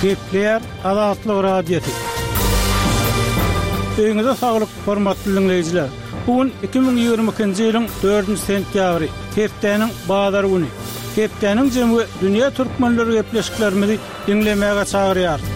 Gepleýär Azatlyk Radiosy. Öýüňize saglyk, hormatly diňleýjiler! Bu gün 2022-nji ýylyň dördünji sentýabry, hepdäniň bazar güni. Hepdäniň jemi we dünýä türkmenleri gepleşiklerimizi diňlemäge çagyrýarys.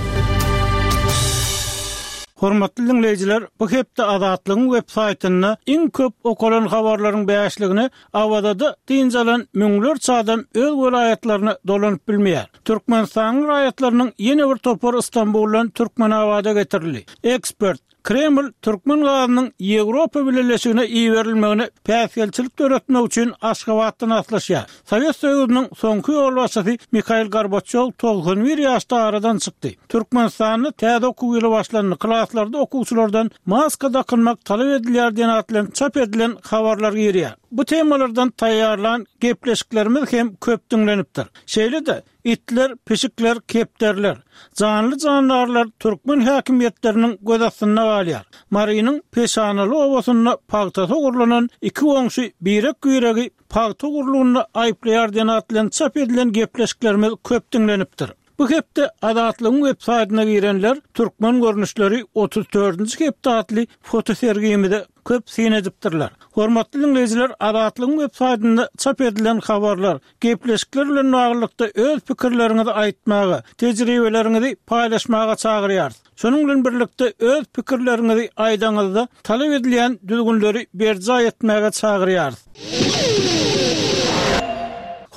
Hormatly diňleýjiler, bu hepde Azatlygyň web saýtynda iň köp okalan habarlaryň bäşligine Awazada dynç alan müňlerçe adam öz welaýatlaryna dolanyp bilmeýär. Türkmenistanyň raýatlarynyň ýene bir topary Stambuldan Türkmenabada getirildi. Ekspert, Kreml türkmen gazynyň Ýewropa Bileleşigine iberilmegine päsgelçilik döretmek üçin Aşgabatdan aslyşýar. Sowet Soýuzynyň soňky ýolbaşçysy Mihail Gorbaçýow 91 ýaşda aradan çykdy. Türkmenistanda täze okuw ýyly başlandy, klaslarda okuwçylardan maska dakynmak talap edilýär diýen at bilen çap edilen habarlar girýär. Bu temalardan taýýarlan gepleşiklerimiz hem köp diňlenipdir. Şeýle-de, itler, pişikler, kepderiler, janly-jandarlar türkmen häkimiýetleriniň göz astynda galýar. Marynyň Peşanaly obasynda pagtasy ogurlanan iki goňşy birek-biregi pagta ogurlygynda aýyplaýar diýen at bilen çap edilen gepleşiklerimiz köp diňlenipdir. Bu hepde Azatlygyň web saýtyna girenler Türkmen görnüşleri 34-nji hepde atly fotosergimize köp syn edipdirler. Hormatly diňleýjiler Azatlygyň web saýtynda çap edilen habarlar, gepleşikler bilen baglylykda öz pikirleriňizi aýtmaga, tejribeleriňizi paýlaşmaga çagyrýarys. Şonuň bilen birlikde öz pikirleriňizi aýdaňyzda talap edilýän düzgünleri berjaý etmäge çagyrýarys.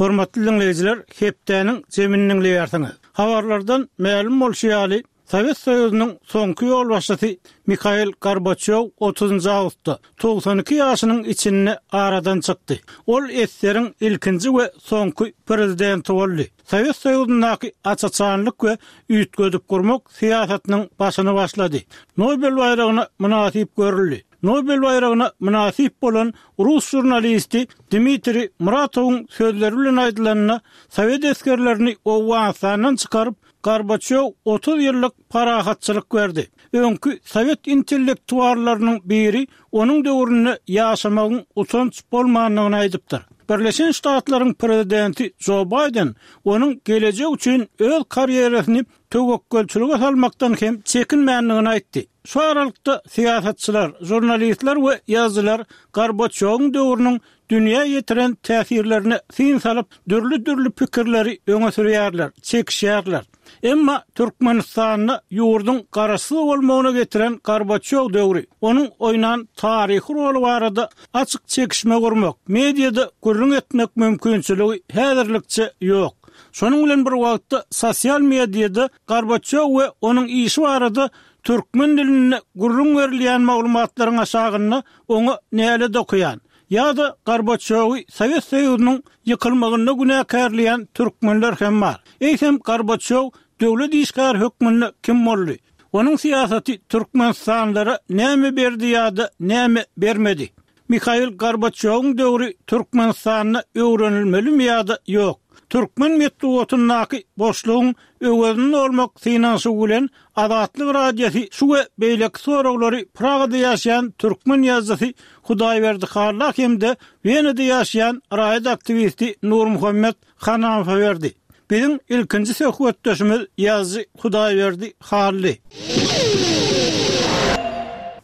Hormatly diňleýjiler, hepdäniň jemini diňleýärsiňiz. Habarlardan mälim bolşy ýaly, Sowet Soýuzynyň soňky ýolbaşçysy Mihail Gorbaçýow otuzynjy awgustda, 92 ýaşynyň içinde aradan çykdy. Ol ssr-iň ilkinji we soňky prezidenti boldy. Sowet Soýuzyndaky aç-açanlyk we üýtgedip gurmak syýasatynyň başyny başlady. Nobel baýragyna mynasyp görüldi. Nobel baýragyna mynasyp bolan rus žurnalisti Dmitriý Muratowyň sözleri bilen aýdylanda, sowet esgerlerini Owganystandan çykaryp, Gorbaçýow 30 ýyllyk parahatçylyk berdi. Öňki sowet intellektuallarynyň biri onuň döwründe ýaşamagyň utanç bolmandygyny aýdypdyr. Birleşen Ştatlaryň prezidenti Jo Baýden onuň gelejek üçin öz karýerasyny töwekgelçilige salmakdan hem çekinmändigini aýtdy. Şu aralykda syýasatçylar, žurnalistler we ýazyjylar Gorbaçýowyň döwrüniň dünýä ýetiren täsirlerine syn salyp, dürli-dürli pikirleri öňe sürýärler, çekişýärler. Emma Türkmenistanda ýurduň garaşsyz bolmagyna getiren Gorbaçýow döwri, onuň oýnan taryhy roly barada açyk çekişme gurmak, mediada gürrüň etmek mümkinçiligi häzirlikçe ýok. Şonuň bilen bir wagtda sosial mediada Gorbaçýow we onuň işi barada türkmen dilinde gürrüň berilýän maglumatlaryň aşagynda oňa nälet okaýan ýa-da Gorbaçýowy Sowet Soýuzynyň ýykylmagynda günäkärleýän türkmenler hem bar. Eýsem Gorbaçýow döwlet işgäri hökmünde kim boldy? Onuň syýasaty türkmenistanlylara näme berdi ýa-da näme bermedi? Mihail Gorbaçýowyň döwri Türkmenistanda öwrenilmelimi ýa-da ýok? Türkmen metbugatyndaky boşlugyň öwezini dolmak synanyşygy bilen Azatlyk Radiosy şu we beýleki soraglary Pragada ýaşaýan türkmen ýazyjysy Hudaýberdi Halla hem-de Wenada ýaşaýan raýat aktiwisti Nurmuhammet Hanamowa berdi. Biziň ilkinji söhbetdeşimiz ýazyjy Hudaýberdi Hally.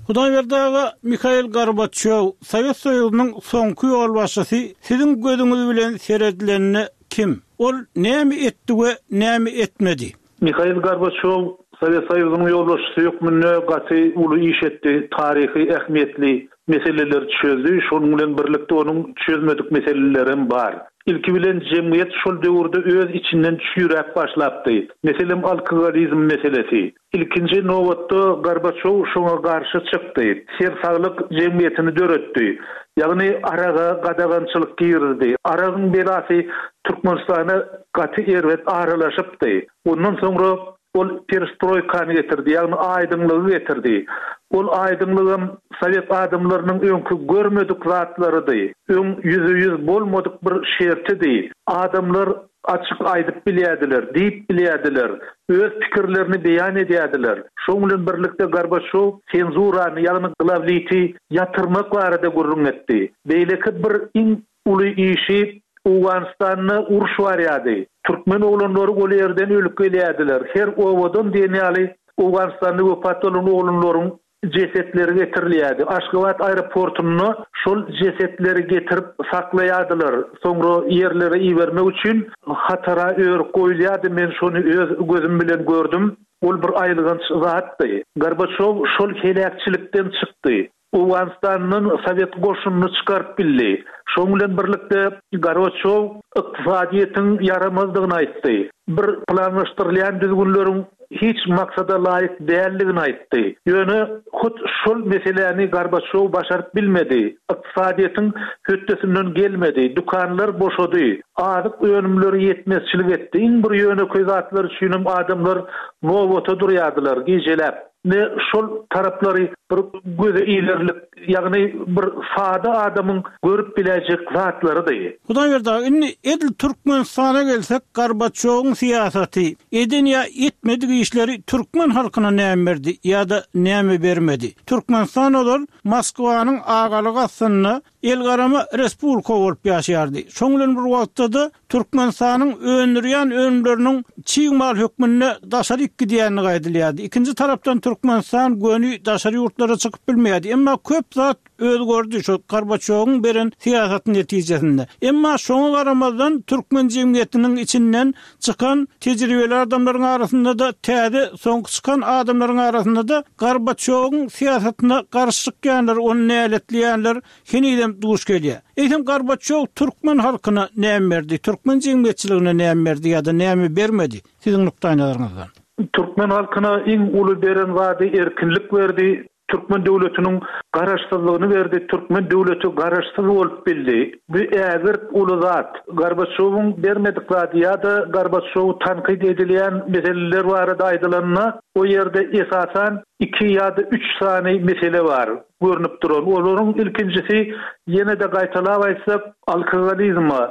Hudaýberdi aga, Mihail Gorbaçýow, Sowet Soýuzynyň soňky ýolbaşçysy siziň gözüňiz bilen seredilende kim? Ol näme etdi we näme etmedi? Mihail Gorbaçýow Sowet Soýuzynyň ýolbaşçysy hökmünde gaty uly iş etdi, taryhy ähmiýetli meseleleri çözdi, şonuň bilen birlikde onuň çözmedik meselelerem bar. Ilki bilen jemgyýet şol döwürde öz içinden çüýräp başlapdy. Meselem alkogolizm meselesi. Ilkinji nobatda Gorbaçýow şoňa garşy çykdy. Sersaglyk jemgyýetini döretdi. Ýagny araga gadagançylyk girizdi. Aragyň belasy Türkmenistana gaty erbet aralaşypdy. Ondan soňra ol perestroýkany getirdi, ýagny aýdyňlygy getirdi. Ol aýdyňlygam sowet adamlarynyň öňki görmedik zatlarydy. Öň ýüzbe-ýüz bolmadyk bir şertidi. Adamlar açyk aýdyp bilýärdiler, diýip bilýärdiler, öz pikirlerini beýan edýärdiler. Şoň bilen birlikde Gorbaçýow senzurany, ýagny glawliti ýatyrmak barada gürrüň etdi. Beýleki bir iň Uly işi. Owganystanda uruş barýardy. Türkmen oglanlary ol ýerden ölüp gelýärdiler. Her obadan diýen ýaly Owganystanda wepat bolan oglanlaryň jesetleri getirilýärdi. Aşgabat aeroportunda şol jesetleri getirip saklaýardylar. Soňra ýerlere ibermek üçin hatara örüp goýulýardy. Men şony öz gözüm bilen gördüm. Ol bir aýylganç zatdy. Gorbaçýow şol heläkçilikden çykdy. Owganystandan sowet goşunyny çykaryp bildi. Şonuň bilen birlikde Gorbaçýow ykdysadyýetiň ýaramazdygyny aýtdy. Bir planlaşdyrylýan düzgünleriň hiç maksada laýyk däldigini aýtdy. Ýöne hut şol meseläni Gorbaçýow başaryp bilmedi. Ykdysadyýetiň hötdesinden gelmedi. Dükanlar boşady. Azyk önümleri ýetmezçilik etdi. Iň bir ýönekeý zatlar üçinem adamlar nobata durýardylar gijeläp. Ine, şol taraplary bir göze ilerlik, ýagny bir sada adamyň görüp biläýjek zatlarydy. Hudaýberdi aga, indi edil Türkmenistana gelsek, Gorbaçýowyň syýasaty, eden ýa etmedik işleri türkmen halkyna näme berdi ýa-da näme bermedi? Türkmenistan ozal Moskwanyň agalygy astynda elgarama respublika bolup ýaşaýardy. Şoň bilen bir wagtda-da Türkmenistanyň öndürýän önümleriniň çig mal hökmünde daşaryk gidýändigi aýdylýardy. Ikinji tarapdan Türkmenistan göni daşary ýurtlara çykyp bilmeýärdi. Emma köp zat özgerdi şu Gorbaçýowyň beren syýasaty netijesinde. Emma şoňa garamazdan türkmen jemgyýetiniň içinden çykan tejribeli adamlaryň arasynda-da täze soňky çykan adamlaryň arasynda-da Gorbaçýowyň syýasatyna garşy çykýanlar, ony näletleýänler henizem duş gelýär. Eýsem Gorbaçýow türkmen halkyna näme berdi, türkmen jemgyýetçiligine näme berdi ýa-da näme bermedi siziň nukdaýnazaryňyzdan? Türkmen halkyna iň uly beren zady erkinlik berdi, Türkmen döwletiniň garaşsyzlygyny berdi, türkmen döwleti garaşsyz bolup bildi. Bu ägirt uly zat. Gorbaçýowyň bermedik zady ýa-da Gorbaçýowy tankyt edilýän meseleler barada aýdylanda, o ýerde esasan iki ýa-da üç sany mesele bar görnüp duran. Olaryň ilkinjisi, ýene-de gaýtalap aýtsak, alkogolizme,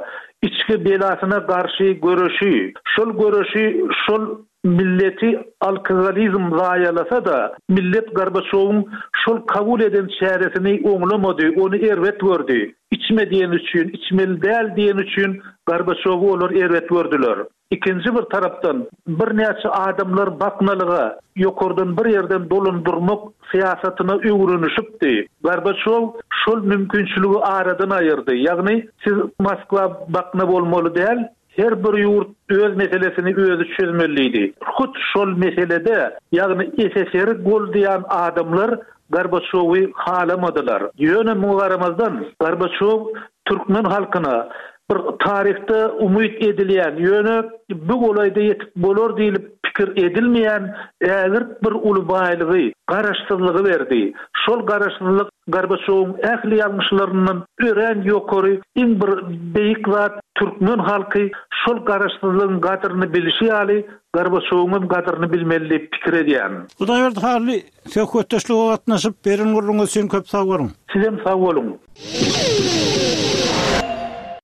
içgi belasyna garşy göreşi. Şol göreşi şol Milleti alkogolizm zaýalasa-da, millet Gorbaçýowyň şol kabul eden çäresini oňlamady, ony erbet gördi. Içme diýeni üçin, içmeli däl diýeni üçin Gorbaçýowy olar erbet gördüler. Ikinji bir tarapdan, birnäçe adamlar baknalyga, ýokardan bir ýerden dolandyrmak syýasatyna öwrenişipdi. Gorbaçýow şol mümkinçiligi aradan aýyrdy. Ýagny, siz Moskwa bakna bolmaly däl, Her bir ýurt öz meselesini özi çözmeli diýdi. Hut şol meselede, ýagny SSR-i goldaýan adamlar Gorbaçýowy halamadylar. Ýöne muňa garamazdan, Gorbaçýow türkmen halkyna bir taryhda umyt edilýän, ýöne bu golaýda ýetip bolar diýlip pikir edilmeýän ägirt bir uly baýlygy, garaşsyzlygy berdi. Şol garaşsyzlyk Gorbaçýowyň ähli ýalňyşlaryndan örän ýokary, iň bir beýik zat türkmen halky şol garaşsyzlygyň gadyryny bilişi ýaly Gorbaçýowyňam gadyryny bilmeli diýip pikir edýän. Hudaýberdi Hally, söhbetdeşlige gatnaşyp, beren gürrüňiz üçin köp sag boluň! Sizem sag boluň!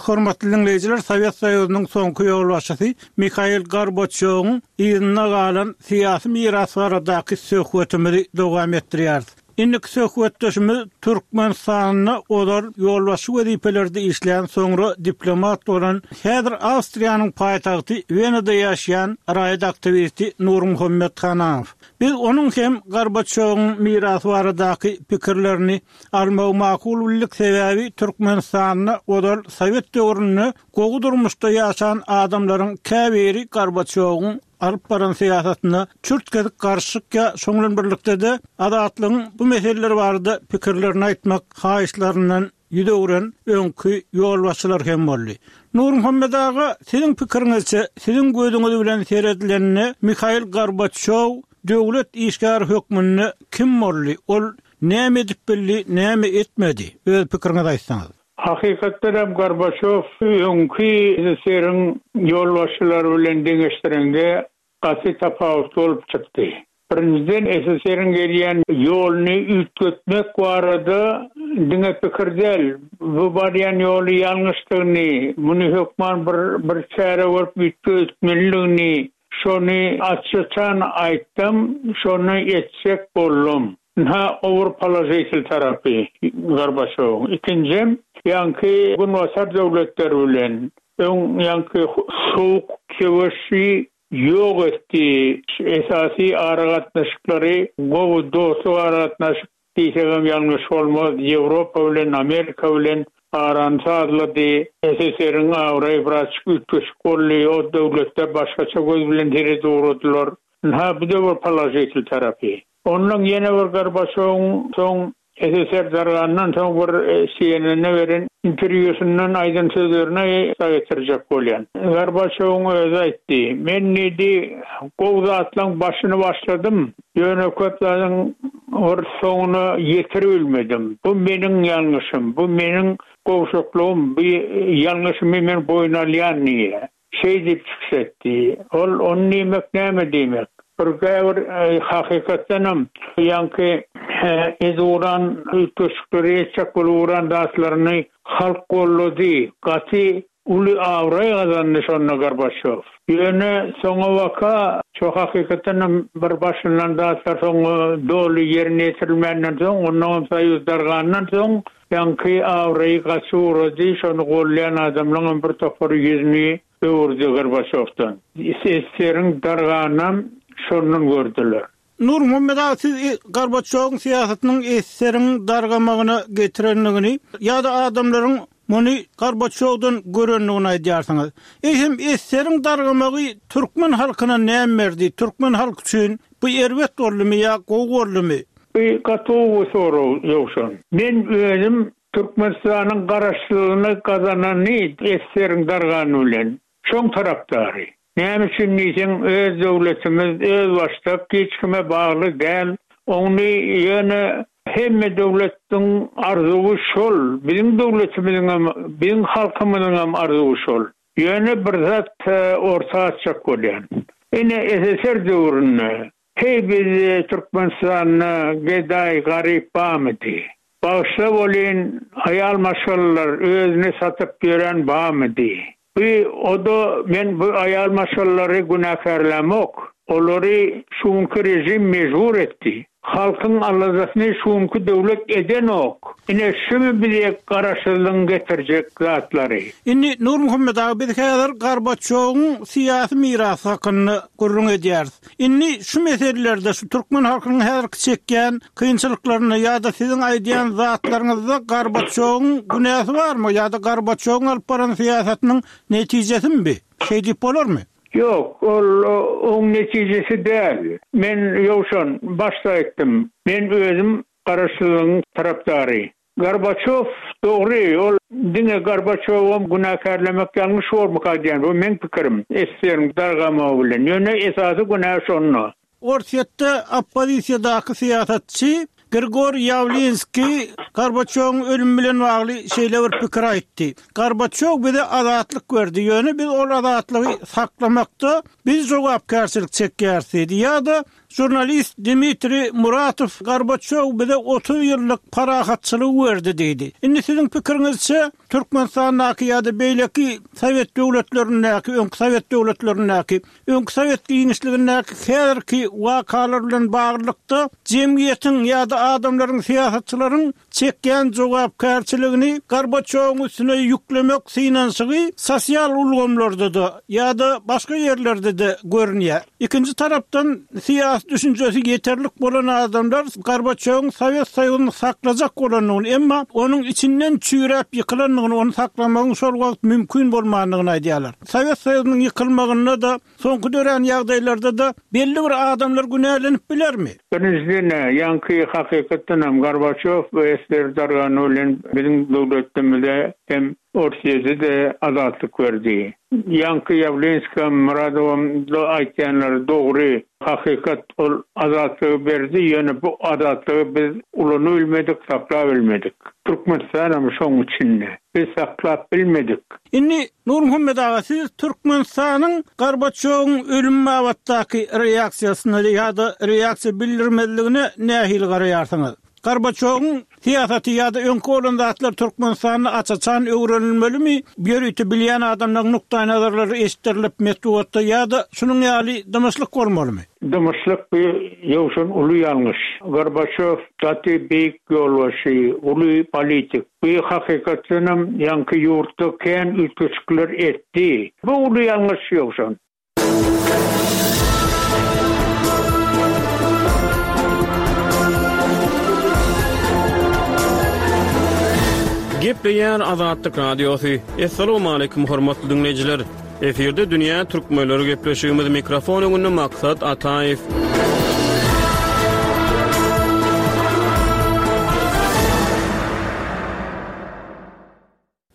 Hormatly diňleýjiler, Sowet Soýuzynyň soňky ýolbaşçysy Mihail Gorbaçýowyň yzynda galan syýasy miras baradaky söhbetimizi dowam etdirýäris. Indiki söhbetdeşimiz Türkmenistanda ozal ýolbaşçy wezipelerde işlän, soňra diplomat bolan, häzir Awstriýanyň paýtagty Wenada ýaşaýan raýat aktiwisti Nurmuhammet Hananow. Biz onuň hem Gorbaçýowyň mirasy baradaky pikirlerini almagy makul bildik, sebäbi Türkmenistanda ozal sowet döwründe gowy durmuşda ýaşan adamlaryň käbiri Gorbaçýowyň alyp baran syýasatyna çürt-kesik garşy çykýar, şoň bilen birlikde-de Azatlygyň bu meseleler barada pikirlerini aýtmak haýyşlaryndan ýüz öwren öňki ýolbaşçylar hem boldy. Nurmuhammet aga, siziň pikiriňizçe, siziň gözüňiz bilen seredilende Mihail Gorbaçýow döwlet işgäri hökmünde kim boldy, ol näme edip bildi, näme etmedi? Öz pikiriňizi aýtsaňyz. Hakykatdan hem Gorbaçýow öňki SSR-iň ýolbaşçylary bilen deňeşdireňde gaty tapawutly bolup çykdy. Birinjiden SSR-iň gelýän ýoluny üýtgetmek barada diňe pikir däl, bu barýan ýoly ýalňyşdygyny, muny hökman bir bir çäre görüp üýtgetmelidigini şony aç-açan aýtdam, şony etjek boldum. Ynha, o bir položitel tarapy Gorbaçýowyň. Ikinjem, ýaňky Günbatar döwletleri bilen. Öň ýaňky sowuk söweşi ýok etdi. Esasy aragatnaşyklary gowy dostluk aragatnaşyk diýsegem ýalňyş bolmaz, Ýewropa bilen, Amerika bilen arany sazlady. SSR-iň abraýy birazjyk üýtgeşik boldy, o döwletler başgaça göz bilen seredip ugradylar. Ynha, bu-da bir položitel tarapy. Onnoň ýene bir Gorbaçowyň soň SSR dargandan soň bir CNN-e beren interwýusyndan aýdan sözlerini getirjek bolýan. Gorbaçowyň özi aýtdy, Men diýdi, gowy zatlaň başyny başladym, ýöne köp zadyň bir soňuna ýetiribilmedim. Bu meniň ýalňyşym, bu meniň gowşaklygym, bu ýalňyşymy men boýun alýan diýýär. Şeý diýip çykyş etdi. Ol ony diýmek näme diýmek? Bir käbir hakykatdanam ýaňky edip ugran üýtgeşikleri etjek bolup ugran zatlaryny halk goldady. Gaty uly abraý gazandy şonda Gorbaçýow. Ýöne soňabaka şo hakykatdanam bir başlanan zatlar soň doly ýerine ýetirilmänden soň, onnoňam Soýuz dargandan soň Ýaňky abraýy gaçyp ugrady, şony gollaýan adamlaňam bir topary ýüzüni öwürdi Gorbaçýowdan. SSR-iň darganynam şondan gördüler. Nurmuhammet aga siz Gorbaçýowyň syýasatynyň SSR-iň dargamagyna getirendigini ýa-da adamlaryň muny Gorbaçýowdan görendigini aýdýarsyňyz. Eýsem SSR-iň dargamagy türkmen halkyna näme berdi? Türkmen halky üçin bu erbet boldumy ýa gowy boldumy? Bu gaty gowy sorag Ýowşan. Men özüm Türkmenistanyň garaşsyzlygyny gazanany SSR-iň dargany bilen, şoň tarapdary. Näme üçin diýseň öz döwletimiz özbaşdak hiç kime bagly däl. Ony ýöne hemme döwletdiň arzuwy şol, biziň döwletimiziňem, biziň halkymyzyňam arzuwy şol. Ýöne bir zat orta atjak bolýan. Ine SSR döwründe Heý bizde Türkmenistanda gedaý garyp bamydy? Bagyşla bolyn aýal maşgalalar özüni satyp ýören bamydy? Bu oda men bu aýal maşgalalary günäkärlämok. Olary şu günki režim mejbur etdi. Halkyň aladasyny şu günki döwlet edenok. Ine şumy bize garaşsyzlygyň getirjek zatlary. Indi Nurmuhammet aga biz häzir Gorbaçýowyň syýasy mirasy hakynda gürrüň edýäris. Indi şu meselelerde şu türkmen halkynyň häzirki çekýän kynçylyklarynda ýa-da siziň aýdýan zatlaryňyzda Gorbaçýowyň günäsi barmy ýa-da Gorbaçýowyň alyp baran syýasatynyň netijesimi bi? Şeý diýip bolarmy? Ýok, ol oň netijesi däl. Men Ýowşan, başda aýtdym, men özüm garaşsyzlygyň tarapdary. Gorbaçýow dogry, ol diňe Gorbaçýowam günäkärlemek ýalňyş bormyka diýýän, bu meň pikirim, SSR-iň dargamagy bilen, ýöne esasy günä şonda. Orsýetde oppozisiýadaky syýasatçy Grigoriý Ýawlinskiý Gorbaçýowyň ölümi bilen bagly şeýle bir pikir aýtdy, Gorbaçýow bize azatlyk berdi, ýöne biz ol azatlygy saklamakda biz jogapkärçilik çekýäris diýdi. Ýa-da Žurnalist Dmitriý Muratow Gorbaçýow bize 30 ýyllyk parahatçylygy berdi diýdi. Indi siziň pikiriňizçe, Türkmenistandaky ýa-da beýleki sowet döwletlerindäki, öňki sowet döwletlerindäki, öňki sowet giňişligindäki häzirki wakalar bilen baglylykda jemgyýetiň ýa-da adamlaryň, syýasatçylaryň çekýän jogapkärçiligini Gorbaçýowyň üstüne ýüklemek synanyşygy sosial ulgamlarda-da ýa-da başga ýerlerde-de görünýär. Ikinji tarapdan, syýasy düşünjesi ýeterlik bolan adamlar Gorbaçýowyň Sowet Soýuzyny saklajak bolandygyny, emma onuň içinden çüýräp ýykylandygyny, ony saklamagyň şol wagt mümkin bolmandygyny aýdýarlar. Sowet Soýuzynyň ýykylmagynda-da Soňky dörän ýagdaýlarda-da belli bir adamlar günälenip bilermi? Birinjiden-ä, ýaňky hakykatdanam Gorbaçýow we SSR dargany bilen biziň döwletimize hem Orsýede-de azatlyk berdi. Ýaňky Ýawlinskam, Myradowam aýtýanlary dogry, hakykat ol azatlygy berdi, ýöne bu azatlygy biz ulanybilmedik, saklabilmedik. Türkmenistanam şoň içinde. Biz saklap bilmedik. Indi Nurmuhammet aga, siz Türkmenistanyň Gorbaçýowyň ölümi babatdaky reaksiýasyna ýa-da reaksiýa bildirmezligine nähili garaýarsyňyz? Gorbaçýowyň Syýasaty ýa-da öňki bolan zatlar Türkmenistanda aç-açan öwrenilmelimi, ýörite bilýän adamlaryň nukdaýnazarlary eşitdirilip metbugatda ýa-da şunuň ýaly dymyşlyk bolmalymy? Dymyşlyk bu Ýowşan uly ýalňyş. Gorbaçýow gaty beýik ýolbaşçy, uly politik. Bu hakykatdanam ýaňky ýurtda kän üýtgeşikler etdi. Bu uly ýalňyş Ýowşan. Gepleýär Azatlyk Radiosy. Assalamualaikum hormatly diňleýjiler. Efirde dünýä türkmenleri gepleşigimiz mikrofon öňünde Maksat Ataýew.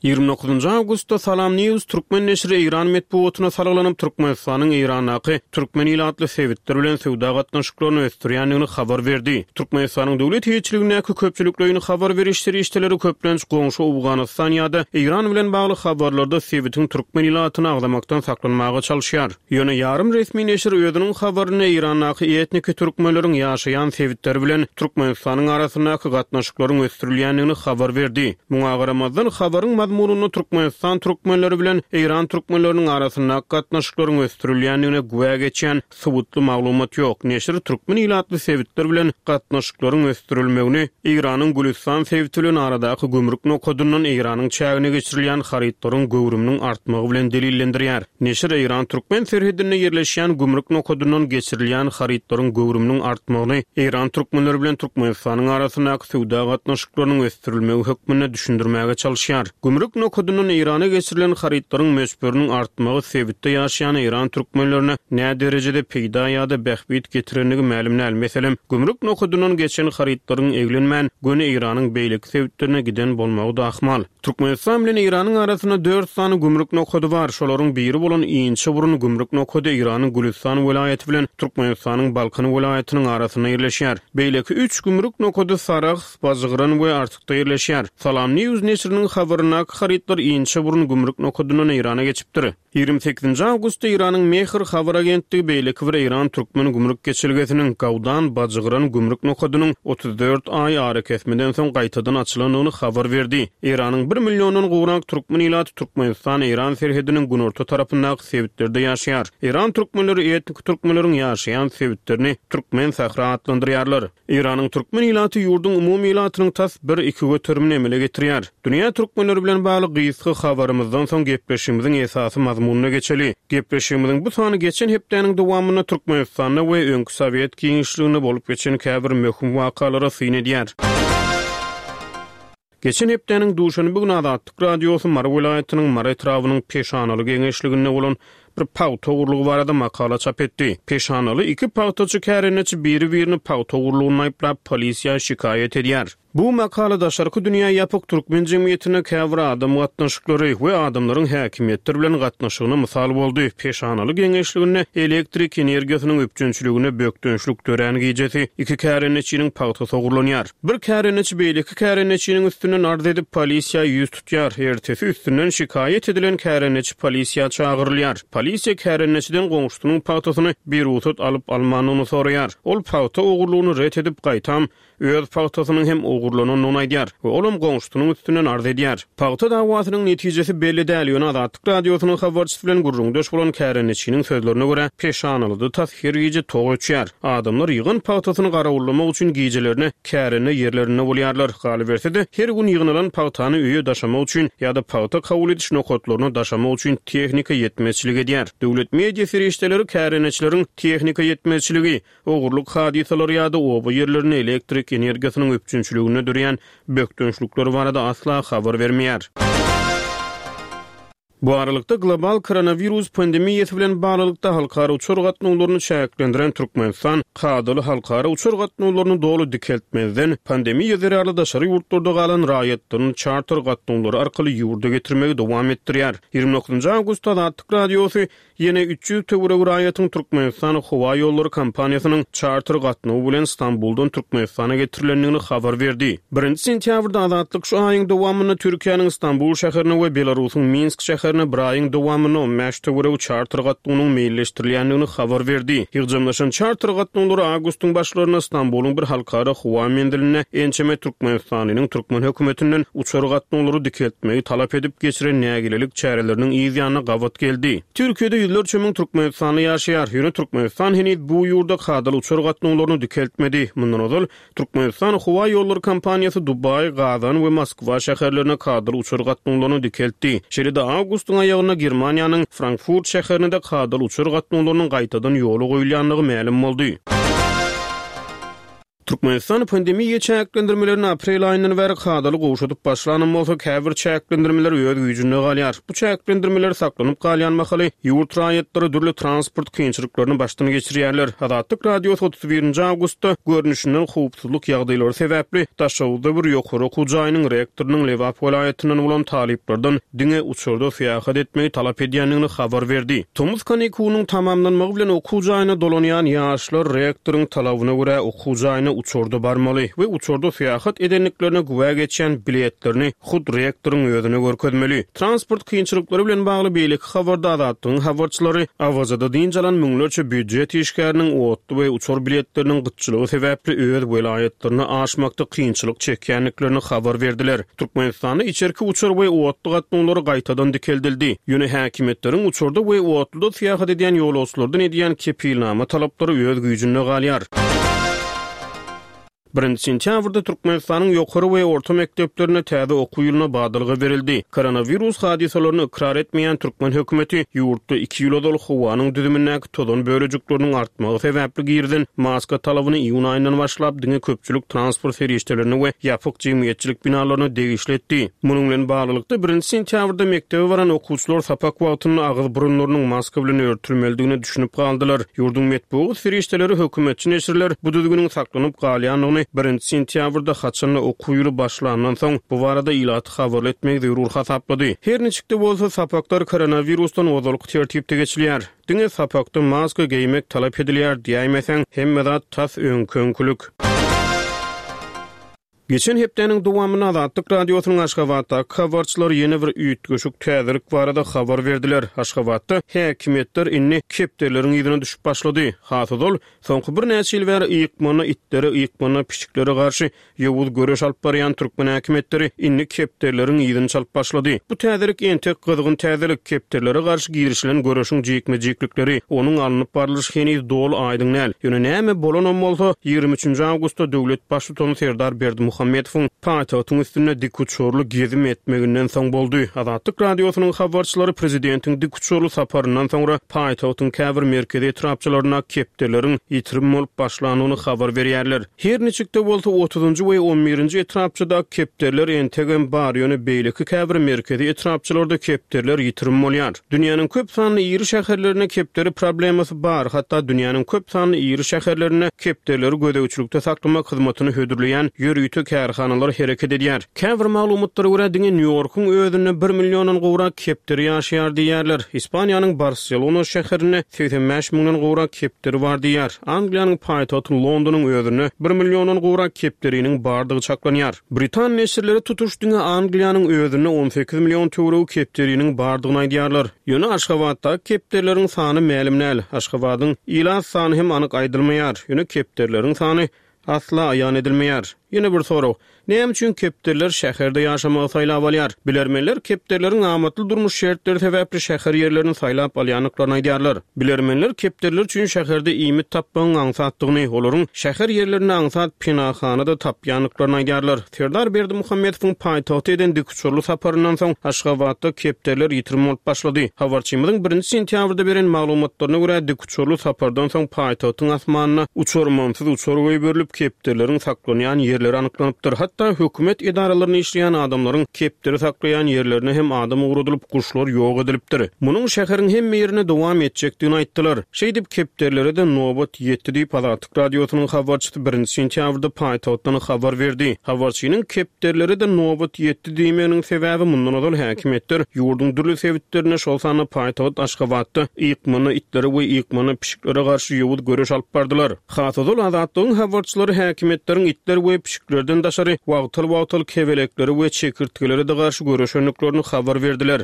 29 awgustda Salam News türkmen neşiri eýran metbugatyna salgylanyp, Türkmenistanyň Eýrandaky türkmen ilatly sebitler bilen söwda gatnaşyklaryny ösdürýändigini habar berdi. Türkmenistanyň döwlet eýeçiligindäki köpçülikleýin habar beriş serişdeleri köplenç goňşy Owganystan ýa-da Eýran bilen bagly habarlarda sebitiň türkmen ilatyny agzamakdan saklanmaga çalyşýar. Ýöne ýarym resmi neşir özüniň habarynda Eýrandaky etniki türkmenleriň ýaşaýan sebitleri bilen Türkmenistanyň arasyndaky gatnaşyklaryň ösdürilýändigini habar berdi. Muňa garamazdan, habaryň mazmunynda Türkmenistan türkmenleri bilen Eýran türkmenleriniň arasyndaky gatnaşyklaryň ösdürilýändigine güwä geçýän suwutly maglumat ýok. Neşir türkmen ilatly sebitler bilen gatnaşyklaryň ösdürilmegini Eýranyň Gülüstan sebiti bilen aradaky gümrük nokadyndan Eýranyň çägine geçirilýän harytlaryň göwrüminiň artmagy bilen delillendirýär. Neşir Eýran-türkmen serhedinde ýerleşýän gümrük nokadyndan geçirilýän harytlaryň göwrüminiň artmagyny Eýran türkmenleri bilen Türkmenistanyň arasyndaky söwda gatnaşyklarynyň ösdürilmegi hökmünde düşündirmäge çalyşýar. Gümrük nokadyndan Eýrana geçirilen harytlaryň möçberiniň artmagy sebitde ýaşaýan eýran türkmenlerine näderejede peýda ýa-da bähbit getirendigi mälim däl. Meselem, gümrük nokadyndan geçen harytlaryň eglenmän, göni Eýranyň beýleki sebitlerine giden bolmagy-da ahmal. Türkmenistan bilen Eýranyň arasynda dört sany gümrük nokady bar. Şolaryň biri bolan Inçeburun gümrük nokady Eýranyň Gülüstan welaýaty bilen Türkmenistanyň Balkan welaýatynyň arasynda ýerleşýär. Beýleki üç gümrük nokady Sarahs, Bajgyran we Artykda ýerleşýär. Salam News neşiriniň habaryndaky harytlar Inçeburun gümrük nokadyndan Eýrana geçipdir. Ýigrimi sekizinji awgustda Eýranyň Mehr habar agentligi beýleki bir eýran-türkmen gümrük geçelgesiniň, Gawdan, Bajgyran gümrük nokadynyň 34 aý arakesmeden soň gaýtadan açylandygyny habar berdi. Eýranyň bir milliondan gowrak türkmen ilaty Türkmenistan-Eýran serhediniň günorta tarapyndaky sebitlerde ýaşaýar. Eýran türkmenleri etniki türkmenleriň ýaşaýan sebitlerini Türkmen sähra atlandyrýarlar. Eýranyň türkmen ilaty ýurduň umumy ilatynyň tas bir-iki göterimini emele getirýär. Dünýä türkmenleri bilen bagly gysga habarymyzdan soň gepleşigimiziň esasy mazmunyna geçeli. Gepleşigimiziň bu sany geçen hepdäniň dowamynda Türkmenistanda we öňki sowet giňişliginde bolup geçen käbir möhüm wakalara syn edýär. Geçen hepdäniň duşenbe güni Azatlyk Radiosy Mary welaýatynyň Mary etrabynyň Peşanaly geňeşliginde bolan bir pagta ogurlygy barada makala çap etdi. Peşanaly iki pagtaçy kärendeçi biri-birini pagta ogurlygynda aýyplap, polisiýa şikaýat edýär. Bu makala daşarky dünýä ýapyk türkmen jemgyýetinde käbir adam gatnaşyklary we adamlaryň häkimiýetler bilen gatnaşygyna mysal boldy. Peşanaly geňeşliginde elektrik energiýasynyň üpjünçiliginde bökdençlik dörän gijesi iki kärendeçiniň pagtasy ogurlanýar. Bir kärendeçi beýleki kärendeçiniň üstünden arz edip, polisiýa ýüz tutýar. Ertesi üstünden şikaýat edilen kärendeçi polisiýa çagyrylýar. Polisiýa kärendeçiden goňşusynyň pagtasyny birugsat alyp-almandygyny soraýar. Ol pagta ogurlygyny ret edip, gaýtam, öz pagtasynyň hem ogurlanandygyny aýdýar we olam goňşusynyň üstünden arz edýär. Pagta dawasynyň netijesi belli däl, ýöne Azatlyk Radiosynyň habarçysy bilen gürrüňdeş bolan kärendeçiniň sözlerine görä, Peşanalyda tas her gije tok öçýär. Adamlar ýygan pagtasyny garawullamak üçin gijelerine kärende ýerlerinde bolýarlar. Galyberse-de, her gün ýygnalan pagtany öýe daşamak üçin ýa-da pagta kabul ediş nokatlaryna daşamak üçin tehnika ýetmezçilik edýär. Döwlet media serişdeleri kärendeçileriň tehnika ýetmezçiligi, ogurlyk hadysalary ýa-da oba ýerlerinde elektrik energiýasynyň üpjünçiliginde dörýän bökdençlikler barada asla habar bermeýär. Bu aralykda, global koronawirus pandemiýasy bilen baglylykda halkara uçar gatnawlaryny çäklendiren Türkmenistan kadaly halkara uçar gatnawlaryny doly dikeltmezden, pandemiýa zerarly daşary ýurtlarda galan raýatlaryny çarter gatnawlary arkaly ýurda getirmegi dowam etdirýär. Ýigrimi dokuzynjy awgustda Azatlyk Radiosy. ýene 300 töweregi raýatyň Türkmenistan howaýollary kompaniýasynyň çarter gatnawy bilen Stambuldan Türkmenistana getirilendigini habar berdi. Birinji sentýabrda Azatlyk şu aýyň dowamynda Türkiýäniň Stambul şäherine we Belarusyň Minsk şäherine bir aýyň dowamynda 15 töweregi çarter gatnawynyň meýilleşdirilýändigini habar berdi. Ýygjamlaşan çarter gatnawlary awgustyň başlarynda Stambulyň bir halkara howa menzilinde ençeme türkmenistanlynyň türkmen hökümetinden uçar gatnawlary dikeltmegi talap edip geçiren nägilelik çäreleriniň yz ýanyna gabat geldi. Türkiýede ýüzlerçe müň türkmenistanly ýaşaýar, ýöne Türkmenistan heniz bu ýurda kadaly uçar gatnawlaryny dikeltmedi. Mundan ozal, Türkmenistan howa ýollary kompaniýasy Dubaý, Gazan we Moskwa şäherlerine kadaly uçar gatnawlaryny dikeltdi. Şeýle-de awgustyň aýagynda Germaniýanyň Frankfurt şäherine-de kadaly uçar gatnawlarynyň gaýtadan ýola goýulýandygy mälim boldy. Türkmenistan pandemiýa çäklendirmelerini aprel aýyndan bäri kadaly gowşadyp başlanam bolsa, käbir çäklendirmeler öz güýjünde galýar. Bu çäklendirmeler saklanyp galýan mahaly, ýurt raýatlary dürli transport kynçylyklaryny başdan geçirýärler. Azatlyk Radiosy 31-nji awgustda, görnüşinden howpsuzlyk ýagdaýlary sebäpli, Daşoguzda bir ýokary okuw jaýynyň rektorynyň Lebap welaýatyndan bolan talyplardan diňe uçarda syýahat etmegi talap edýändigini habar berdi. Tomus kanikulynyň tamamlanmagy bilen okuw jaýyna dolanýan ýaşlar rektoryň talabyna görä okuw jaýyna uçarda barmaly we uçarda syýahat edendiklerine güwä geçýän biletlerini hut rektoryň özüne görkezmeli. Transport kynçylyklary bilen bagly beýleki habarda Azatlygyň habarçylary Awazada dynç alan müňlerçe býujet işgäriniň otly we uçar biletleriniň gytçylygy sebäpli öz welaýatlaryna aşmakda kynçylyk çekýändiklerini habar berdiler. Türkmenistanda içerki uçar we otly gatnawlary gaýtadan dikeldildi. Ýöne häkimiýetleriň uçarda we otluda syýahat edýän ýolagçylardan edýän kepilnama talaplary öz güýjünde galýar. Birinji sentýabrda Türkmenistanyň ýokary we orta mekdeplerinde täze okuw ýylyna badalga berildi. Koronawirus hadysalaryny ykrar etmeýän türkmen hökümeti ýurtda iki ýyl ozal howanyň düzümindäki tozan bölejikleriniň artmagy sebäpli girizen maska talabyny iýun aýyndan başlap diňe köpçülik transport serişdelerine we ýapyk jemgyýetçilik binalaryna degişli etdi. Munuň bilen baglylykda, birinji sentýabrda mekdebe baran okuwçylar sapak wagtynda agyz-burunlarynyň maska bilen örtülmelidigine düşünip galdylar. Ýurduň metbugat serişdeleri, hökümetçi neşirler bu düzgüniň saklanyp galýandygyny birinji sentýabrda, haçan-da okuw ýyly başlandan soň, bu barada ilaty habarly etmegi zerur hasaplady. Her niçik-de bolsa, sapaklar koronawirusdan ozalky tertipde geçilýär. Diňe sapakda maska geýmek talap edilýär diýäýmeseň, hemme zat tas öňki-öňkülik. Geçen hepdäniň dowamynda Azatlyk Radiosynyň Aşgabatdaky habarçylary ýene bir üýtgeşik täzelik barada habar berdiler. Aşgabatda häkimiýetler indi kepderileriň yzyna düşüp başlady. Has ozal, soňky birnäçe ýyl bäri ykmanda itlere, ykmanda pişiklere garşy ýowuz göreş alyp barýan türkmen häkimiýetleri indi kepderileriň yzyny çalyp başlady. Bu täzelik entek gyzgyn täzelik, kepderilere garşy girişilen göreşiň jikme-jiklikleri, onuň alnyp barlyşy heniz doly aýdyň däl. Ýöne näme bolanam bolsa, 23-nji awgustda döwlet Baştutany Serdar Berdimuhamedowyň paýtagtyň üstünde dikuçarly gezim etmeginden soň boldy. Azatlyk Radiosynyň habarçylary prezidentiň dikuçarly saparyndan soňra paýtagtyň käbir merkezi etrapçalarynda kepderileriň ýitirim bolup başlandygyny habar berýärler. Her niçik-de bolsa, otuzynjy we on birinji etrapçadaky kepderiler entegem bar, ýöne beýleki käbir merkezi etrapçalarda kepderiler ýitirim bolýar. Dünýäniň köp sanly iri şäherlerinde kepderi problemasy bar, hatda dünýäniň köp sanly iri şäherlerinde kepderileri gözegçilikde saklamak hyzmatyny hödürleýän ýörite kärhanalar hereket edýär. Käbir maglumatlara görä, diňe Nýu-Ýorkuň özünde bir milliondan gowrak kepderi ýaşaýar diýýärler. Ispaniýanyň Barselona şäherinde 85 müňden gowrak kepderi bar diýýär. Angliýanyň paýtagty Londonyň özünde bir milliondan gowrak kepderiniň bardygy çaklanýar. Britan neşirleri tutuş diňe Angliýanyň özünde 18 million töweregi kepderiniň bardygyny aýdýarlar. Ýöne Aşgabatdaky kepderileriň sany mälim däl. Aşgabadyň ilat sany hem anyk aýdylmaýar. Ýöne kepderileriň sany asla aýan edilmeýär. Ýene bir sorag, Näme üçin kepderiler şäherde ýaşamagy saýlap alýar? Bilermenler kepderileriň amatly durmuş şertleri sebäpli şäher ýerlerini saýlap alýandyklaryny aýdýarlar. Bilermenler kepderiler üçin şäherde iýmit tapmagyň aňsatdygyny, olaryň şäher ýerlerinde aňsat penahana-da tapýandyklaryny aýdýarlar. Serdar Berdimuhamedowyň paýtagta eden dikuçarly saparyndan soň, Aşgabatda kepderiler ýitirim bolup başlady. Habarçymyzyň birinji sentýabrda beren maglumatlaryna görä, Uçarly sapardan soň paýtagtyň asmanyna uçarmansyz uçar goýberilip, kepderileriň saklanýan ýerleri anyklanypdyr. Hatda hökümet edaralarynda işleýän adamlaryň kepderi saklaýan ýerlerine hem adam ugradylyp, guşlar ýok edilipdir. Munuň şäheriň hemme ýerinde dowam etjekdigini aýtdylar. Şeýdip, kepderilere-de nobat ýetdi diýip, Azatlyk Radiosynyň habarçysy birinji sentýabrda paýtagtdan habar berdi. Habarçynyň kepderilere-de nobat ýetdi diýmeginiň sebäbi mundan ozal häkimiýetler ýurduň dürli sebitlerinde, şol sanda paýtagt Aşgabatda ykmanda itlere we ykmanda pişiklere garşy ýowuz göreş alyp bardylar. Has ozal Azatlygyň habarçylary häkimiýetleriň itler we pişiklerden daşary wagtal-wagtal kebeleklere we çekirtgelere-de garşy göreşendiklerini habar berdiler.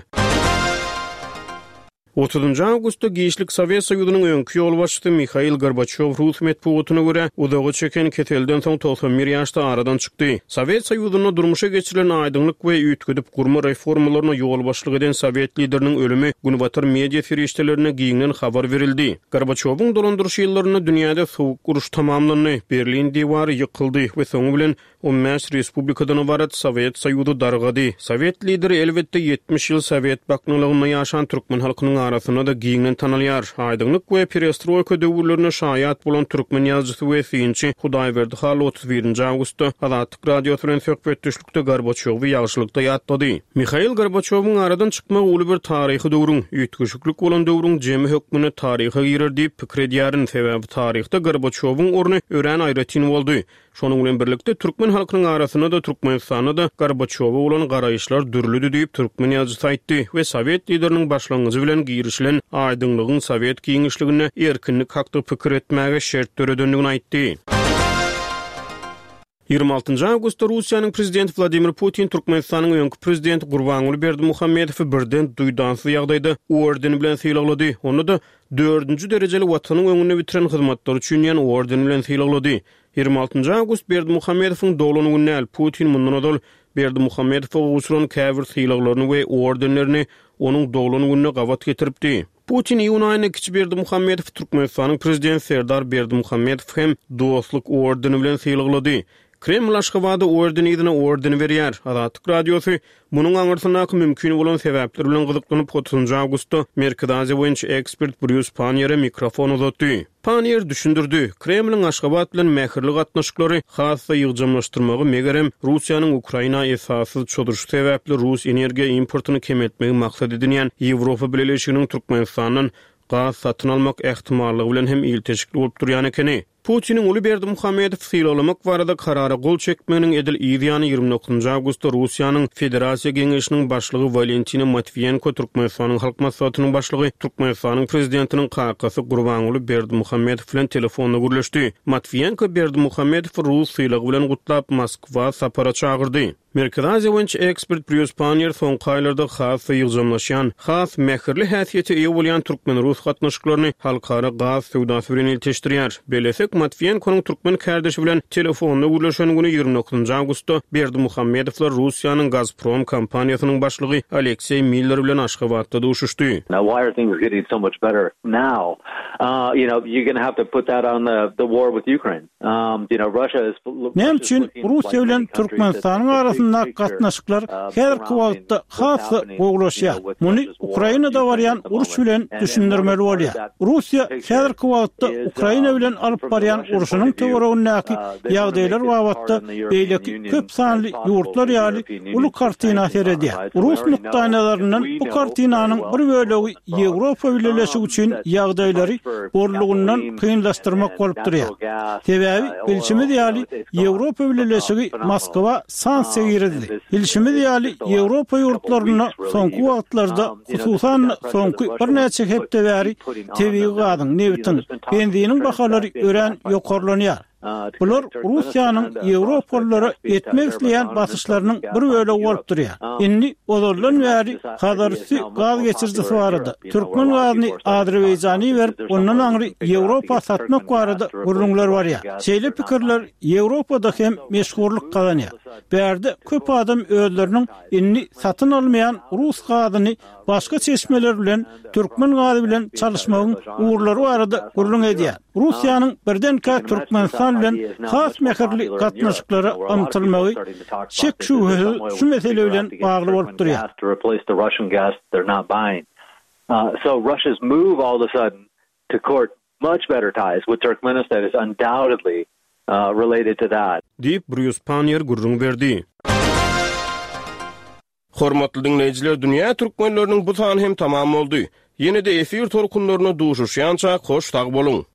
Otuzynjy awgustda giçlik Sowet Soýuzynyň öňki ýolbaşçysy Mihail Gorbaçýow rus metbugatyna görä, uzaga çeken keselden soň 91 ýaşda aradan çykdy. Sowet Soýuzynda durmuşa geçirilen aýdyňlyk we üýtgedip gurma reformalaryna ýolbaşçylyk eden sowet lideriniň ölümi günbatar media serişdelerinde giňden habar berildi. Gorbaçýowyň dolandyryş ýyllarynda dünýäde Sowuk uruş tamamlandy, Berlin diwary ýykyldy we soňy bilen 15 respublikadan ybarat Sowet Soýuzy dargady. Sowet lideri, elbetde, 70 ýyl sowet baknalygynda ýaşan türkmen halkynyň arasynda-da giňden tanalýar. Aýdyňlyk we perestroýka döwürlerine şaýat bolan türkmen ýazyjysy we synçy Hudaýberdi Hally 31-nji awgustda Azatlyk Radiosy bilen söhbetdeşlikde Gorbaçýowy ýagşylykda ýatlady. Mihail Gorbaçýowyň aradan çykmagy uly bir taryhy döwrüň, üýtgeşiklik bolan döwrüň jemi hökmünde taryha girer diýip pikir edýärin, sebäbi taryhda Gorbaçýowyň orny örän aýratyn boldy. Şonuň bilen birlikde, türkmen halkynyň arasynda-da, Türkmenistanda-da Gorbaçýowa bolan garaýyşlar dürlüdi diýip, türkmen ýazyjysy aýtdy we sowet lideriniň başlangyjy bilen girişilen aýdyňlygyň sowet giňişliginde erkinlik hakda pikir etmäge şert döredendigini aýtdy. 26 awgustda Russiýanyň prezidenti Wladimir Putin Türkmenistanyň öňki prezidenti Gurbanguly Berdimuhamedowy birden duýdansyz ýagdaýda orden bilen sylaglady. Onda-da dördünji derejeli Watanyň öňünde bitiren hyzmatlary üçin diýen orden bilen sylaglady. 26 awgust Berdimuhamedowyň doglan güni däl, Putin mundan ozal Berdimuhamedowa gowşuran käbir sylaglaryny we ordenlerini onuň doglan gününe gabat getiripdi. Putin iýun aýynda kiçi Berdimuhamedowy Türkmenistanyň prezidenti Serdar Berdimuhamedowy hem Dostluk ordeni bilen sylaglady. Kreml Aşgabada orden yzyna orden berýär. Azatlyk Radiosy munuň aňyrsyndaky mümkin bolan sebäpler bilen gyzyklanyp, otuzynjy awgustda Merkezi Aziýa boýunça ekspert Brýus Panniýere mikrofon uzatdy. Panniýer düşündirdi, Kremliň Aşgabat bilen mähirli gatnaşyklary has-da ýygjamlaşdyrmagy, megerem, Russiýanyň Ukraina esassyz çozuşy sebäpli rus energiýa importyny kemeltmegi maksat edinýän Ýewropa Bileleşiginiň Türkmenistandan gaz satyn almak ähtimallygy bilen hem ilteşikli bolup durýan ekeni. Putiniň uly Berdimuhamedowy sylaglamak barada karara gol çekmeginiň edil yz ýany 29 awgustda Russiýanyň Federasiýa Geňeşiniň Başlygy Walentina Matwiýenko Türkmenistanyň Halk Maslahatynyň Başlygy, Türkmenistanyň Prezidentiniň kakasy Gurbanguly Berdimuhamedow bilen telefonda gürleşdi. Matwiýenko Berdimuhamedowy rus sylagy bilen gutlap, Moskwa sapara çagyrdy. Merkezi Aziýa boýunça ekspert Brýus Panniýer soňky aýlarda has-da ýygjamlaşýan, has mähirli häsiýete eýe bolýan türkmen-rus gatnaşyklaryny halkara gaz söwdasy bilen ilteşdirýär. Bellesek, Matwiýenkonyň türkmen kärdeşi bilen telefonda gürleşen güni 29 awgustda Berdimuhamedowlar Russiýanyň Gazprom kompaniýasynyň başlygy Alekseý Miller bilen Aşgabatda duşuşdy. Now why are things getting so much better now? You know, you're gonna have to put that on the the war with Ukraine. Näme üçin Russiýa bilen Türkmenistanyň arasyndaky gatnaşyklar häzirki wagtda has-da gowulaşýar? Muny Ukrainada barýan uruş bilen düşündirmeli bolýar. Russiýa häzirki wagtda Ukraina bilen alyp barýan urşunyň töweregindäki ýagdaýlar babatda beýleki köp sanly ýurtlar ýaly uly kartina seredýär. Rus nukdaýnazaryndan bu kartinanyň bir bölegi Ýewropa Bileleşigi üçin ýagdaýlary bollugyndan kynlaşdyrmak bolup durýar. Sebäbi, bilşimiz ýaly, Ýewropa Bileleşigi Moskwa sanksiýa girizdi. Bilşimiz ýaly, Ýewropa ýurtlarynda soňky wagtlarda, hususan-da, soňky birnäçe hepde bäri tebigy gazyň, nebitiň, benziniň bahalary örän ýokarlanýar. Bular Russiýanyň ýewropalylara etmek isleýän basyşlarynyň bir bölegi bolup durýar. Indi ozaldan bäri Hazarüsti gaz geçirijisi barada, türkmen gazyny Azerbaýjana iberip, ondan aňry Ýewropa satmak barada gürrüňler barýar. Şeýle pikirler Ýewropada hem meşhurlyk gazanýar. Bärde köp adam özleriniň indi satyn almaýan rus gazyny başga çeşmeler bilen türkmen gazy bilen çalyşmagyň ugurlary barada gürrüň edýär. Russiýanyň birdenkä Türkmenistan bilen has mähirli gatnaşyklara ymtylmagy şek-şübhesiz şu mesele bilen bagly bolup durýar. Related to that. Diýip, Brýus Panniýer gürrüň berdi. Hormatly diňleýjiler, Dünýä türkmenleriniň bu sany hem tamam boldy. Ýene-de efir tolkunlarynda duşuşýançak hoş sag boluň!